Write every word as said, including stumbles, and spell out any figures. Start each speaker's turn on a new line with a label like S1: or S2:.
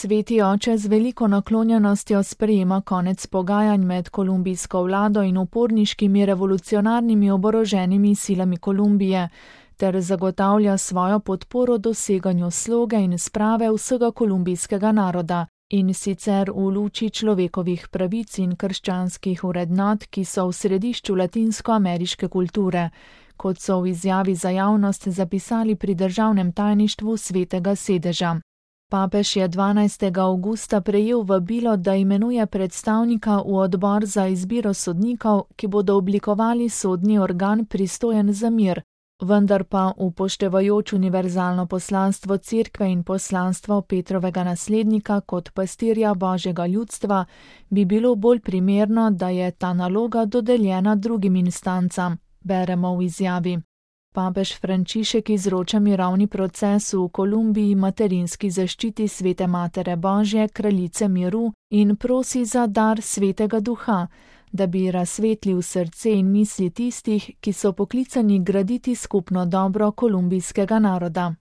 S1: Sveti oče z veliko naklonjenostjo sprejema konec pogajanj med kolumbijsko vlado in uporniškimi revolucionarnimi oboroženimi silami Kolumbije ter zagotavlja svojo podporo doseganju sloge in sprave vsega kolumbijskega naroda, in sicer v luči človekovih pravic in krščanskih vrednot, ki so v središču latinskoameriške kulture, kot so v izjavi za javnost zapisali pri državnem tajništvu Svetega sedeža. Papež je dvanajstega avgusta prejel vabilo, da imenuje predstavnika v odbor za izbiro sodnikov, ki bodo oblikovali sodni organ pristojen za mir, vendar pa upoštevajoč univerzalno poslanstvo Cerkve in poslanstvo Petrovega naslednika kot pastirja Božjega ljudstva, bi bilo bolj primerno, da je ta naloga dodeljena drugim instancam, beremo v izjavi. Papež Frančišek izroča mirovni proces v Kolumbiji materinski zaščiti Svete Matere Božje, kraljice miru, in prosi za dar Svetega Duha, da bi razsvetlil srce in misli tistih, ki so poklicani graditi skupno dobro kolumbijskega naroda.